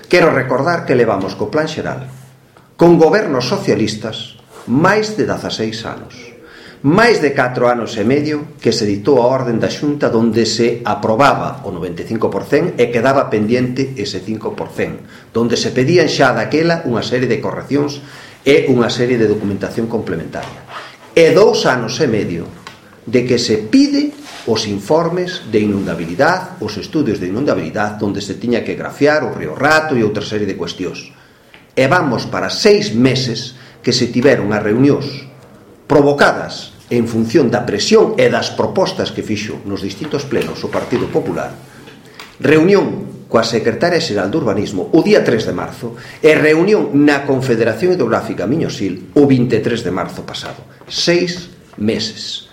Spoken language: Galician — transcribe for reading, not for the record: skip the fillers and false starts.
Quero recordar que levamos co Plan Xeral, con gobernos socialistas, máis de 16 anos. Máis de 4 anos e medio que se ditou a orden da Xunta donde se aprobaba o 95% e quedaba pendiente ese 5%, donde se pedían xa daquela unha serie de correccións e unha serie de documentación complementaria. E 2 anos e medio de que se pide os informes de inundabilidade, os estudios de inundabilidade, donde se tiña que grafiar o Río Rato e outra serie de cuestións. E vamos para 6 meses que se tiveron as reunións provocadas en función da presión e das propostas que fixo nos distintos plenos o Partido Popular, reunión coa secretaria xeral de Urbanismo o día 3 de marzo e reunión na Confederación Hidrográfica Miño-Sil o 23 de marzo pasado. 6 meses.